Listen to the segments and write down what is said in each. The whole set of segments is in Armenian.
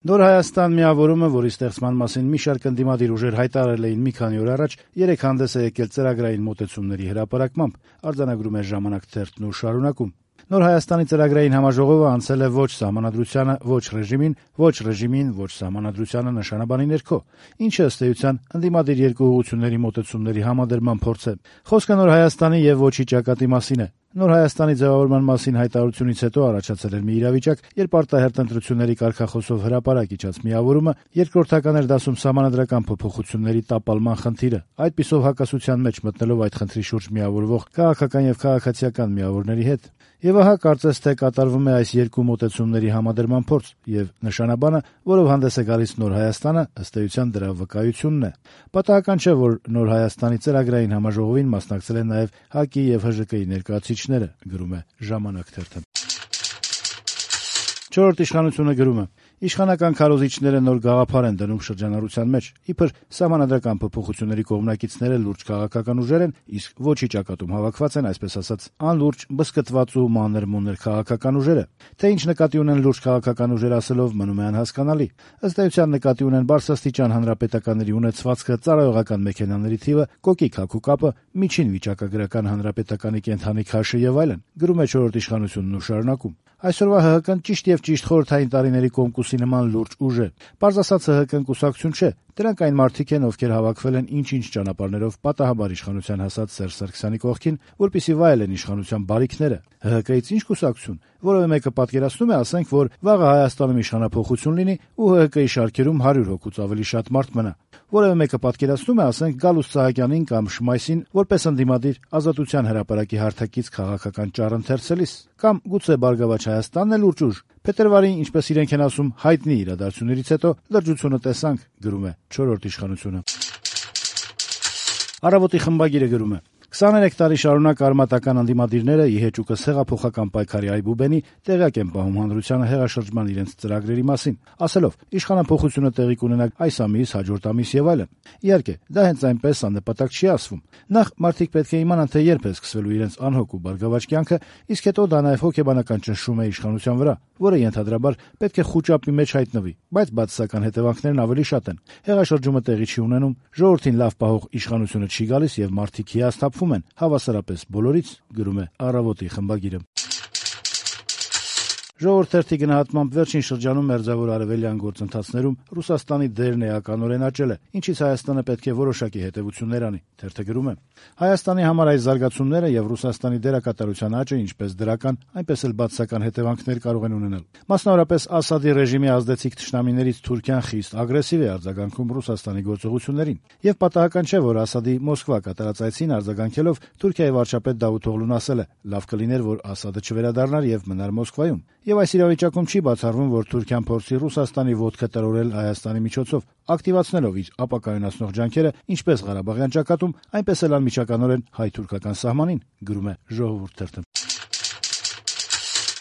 Նոր Հայաստան միավորումը, որի ստեղծման մասին մի շարք ընդդիմադիր ուժեր հայտարարել էին մի քանի օր առաջ, երեկ հանդես է եկել ծրագրային մոտեցումների հրապարակմամբ, արձանագրում է «Ժամանակ» թերթն ու շարունակում. Նոր Հայաստանի ծրագրային համաժողովը անցել է ոչ սահմանադրությանը, ոչ ռեժիմին, ոչ սահմանադրությանը նշանաբանի ներքո, ինչը ըստ էության ընդդիմադիր երկու ուղղությունների մոտեցումների համադրման փորձ է։ Խոսքը Նոր Հայաստանի եւ ոչի ճակատի մասին է։ Նոր Հայաստանի ձևավորման մասին հայտարարությունից հետո առաջացել էր մի իրավիճակ, երբ արտահերթ ընտրությունների կարգախոսով հրապարակ իջած միավորումը երկրորդական էր դասում սահմանադրական փոփոխությունների տապալման խնդիրը, այդպիսով հակասության մեջ մտնելով այդ խնդրի շուրջ միավորվող քաղաքական եւ քաղաքացիական միավորների հետ։ Եվ ահա կարծես թե կատարվում է այս երկու մոտեցումների համադրման փորձ, եւ նշանաբանը, որով հանդես է գալիս Նոր Հայաստանը, ըստ էության դրա վկայությունն է։ Պատահական չէ, որ Նոր Հայաստանի ծրագրային համաժողովին մասնակցել են նաեւ ՀԱԿ-ի եւ ՀԺԿ-ի ներկայացուցիչները, գրում է «Ժամանակ» թերթը։ Չորրորդ իշխանությունը գրում է. Իշխանական քարոզիչները նոր գաղափար են դնում շրջանառության մեջ, իբր սահմանադրական փոփոխությունների կողմնակիցները լուրջ քաղաքական ուժեր են, իսկ ոչի ճակատում հավաքված են, այսպես ասած, անլուրջ, բսկտված ու մանր-մունր քաղաքական ուժերը։ Թե ինչ նկատի ունեն լուրջ քաղաքական ուժեր ասելով, մնում է անհասկանալի։ Ըստ էության նկատի ունեն բարձրաստիճան հանրապետականների ունեցվածքը, ծառայողական մեքենաների թիվը, կոկիկ հագու կապը, միջին վիճակագրական հանրապետականի կենթանի քաշը եւ այլն, գրում է չորրորդ իշխանությունն ու շարունակում։ Այսօրվա ՀՀԿ-ն ճիշտ եւ ճիշտ խորհրդային տարիների կոմկուսի նման լուրջ ուժ է։ Պարզ ասած ՀՀԿ-ն կուսակցություն չէ, դրանք այն մարդիկ են, ովքեր հավաքվել են ինչ-ինչ ճանապարհներով պատահաբար իշխանության հասած Սերժ Սարգսյանի կողքին, որպեսզի վայելեն իշխանության բարիքները։ ՀՀԿ-ից ինչ կուսակցություն։ Որևէ մեկը պատկերացնում է, ասենք, որ վաղը Հայաստանում իշխանափոխություն լինի ու ՀՀԿ-ի շարքերում 100 հոգուց ավելի շատ մարդ մնա։ Որևէ մեկը պատկերացնում է, ասենք, Գալուստ Սահակյանին կամ Շմայսին որպես ընդդիմադիր Ազատության հրապարակի հարթակից քաղաքական ճառ ընթերցելիս, կամ գուցե Բարգավաճ Հայաստանն էլ լուրջ ուժ։ Փետրվարին, ինչպես իրենք են ասում, հայտնի իրադարձություններից հետո լրջությունը տեսանք, գրում է չորրորդ իշխանությունը։ Առավոտի խմբագիրը գրում է. 23 տարի շարունակ արմատական ընդդիմադիրները իհեճուկս հեղափոխական պայքարի այբուբենի տեղյակ են պահում հանրությանը հեղաշրջման իրենց ծրագրերի մասին, ասելով իշխանափոխությունը տեղի կունենա այս ամիս, հաջորդ ամիս եւ այլն։ Իհարկե, դա հենց այնպես աննպատակ չի ասվում։ Նախ մարդիկ պետք է իմանան, թե երբ է սկսվելու իրենց անհոգ ու բարգավաճ կյանքը, իսկ հետո դա նաեւ հոգեբանական ճնշում է իշխանության վրա, որը ենթադրաբար պետք է խուճապի մեջ հայտնվի, բայց բացասական հետևանքներն ավելի շատ են։ Հեղաշրջումը տեղի չի ունենում, ժողովրդին լավ պահող իշխանությունը չի գալիս եւ մարդիկ հիասթափվում են, հավասարապես բոլորից, գրում է Առավոտի խմբագիրը։ Ժողովուրդ թերթի գնահատմամբ վերջին շրջանում Մերձավոր Արևելյան գործընթացներում Ռուսաստանի դերն էականորեն աճել է, ինչից Հայաստանը պետք է որոշակի հետևություններ անի, թերթը գրում է. Հայաստանի համար այս զարգացումները եւ Ռուսաստանի դերակատարության աճը ինչպես դրական, այնպես էլ բացասական հետևանքներ կարող են ունենալ։ Մասնավորապես Ասադի ռեժիմի ազդեցիկ թշնամիներից Թուրքիան խիստ ագրեսիվ է արձագանքում Ռուսաստանի գործողություններին, եւ պատահական չէ, որ Ասադի Մոսկվա կատարած այցին արձագանքելով Թուրքիայի վարչապետ Դավութօղլուն ասել է. «Լավ կլիներ, որ Ասադը չվերադառնար եւ մնար Մոսկվայում»։ Եվ այս իրավիճակում չի բացառվում, որ Թուրքիան փորձի Ռուսաստանի ոտքը տրորել Հայաստանի միջոցով, ակտիվացնելով իր ապակայունացնող ջանքերը ինչպես Ղարաբաղյան ճակատում, այնպես էլ անմիջականորեն հայ-թուրքական սահմանին, գրում է Ժողովուրդ թերթը։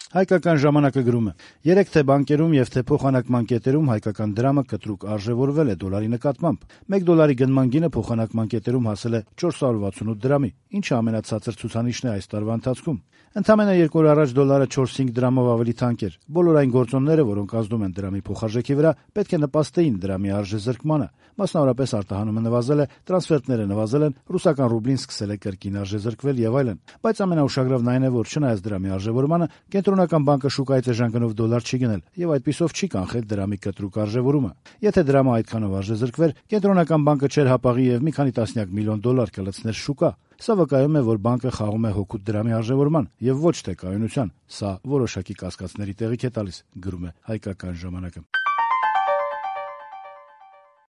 Հայկական ժամանակը գրում է. 3 թե բանկերում եւ թե փոխանակման կետերում հայկական դրամը կտրուկ արժեվորվել է դոլարի նկատմամբ։ 1 դոլարի գնման գինը փոխանակման կետերում հասել է 468 դրամի, ինչը ամենացածր ցուցանիշն է այս տարվա ընթացքում։ Ընդամենը 2 օր առաջ դոլարը 4-5 դրամով ավելի թանկ էր։ Բոլոր այն գործոնները, որոնք ազդում են դրամի փոխարժեքի վրա, պետք է նպաստեին դրամի արժեզրկմանը։ Մասնավորապես արտահանումը նվազել է, տրանսֆերտները նվազել են, ռուսական ռուբլին սկսել է կրկին արժեզրկվել եւ այլն։ Բայց ամենաուշագրավն այն է, որ չնայած դրամի արժեվորմանը, Կենտրոնական բանկը շուկայից էժան դոլար չի գնել եւ այդպիսով չի կանխել դրամի կտրուկ արժեվորումը։ Եթե դրամը այդքանով արժեզրկվեր, Կենտրոնական բանկը չէր հապաղի եւ մի քանի տասնյակ միլիոն դոլար կլցներ շուկա։ Սա վկայում է, որ բանկը խաղում է հօգուտ դրամի արժեվորման եւ ոչ թե կայունության։ Սա որոշակի կասկածների տեղիք է տալիս, գրում է Հայկական ժամանակը։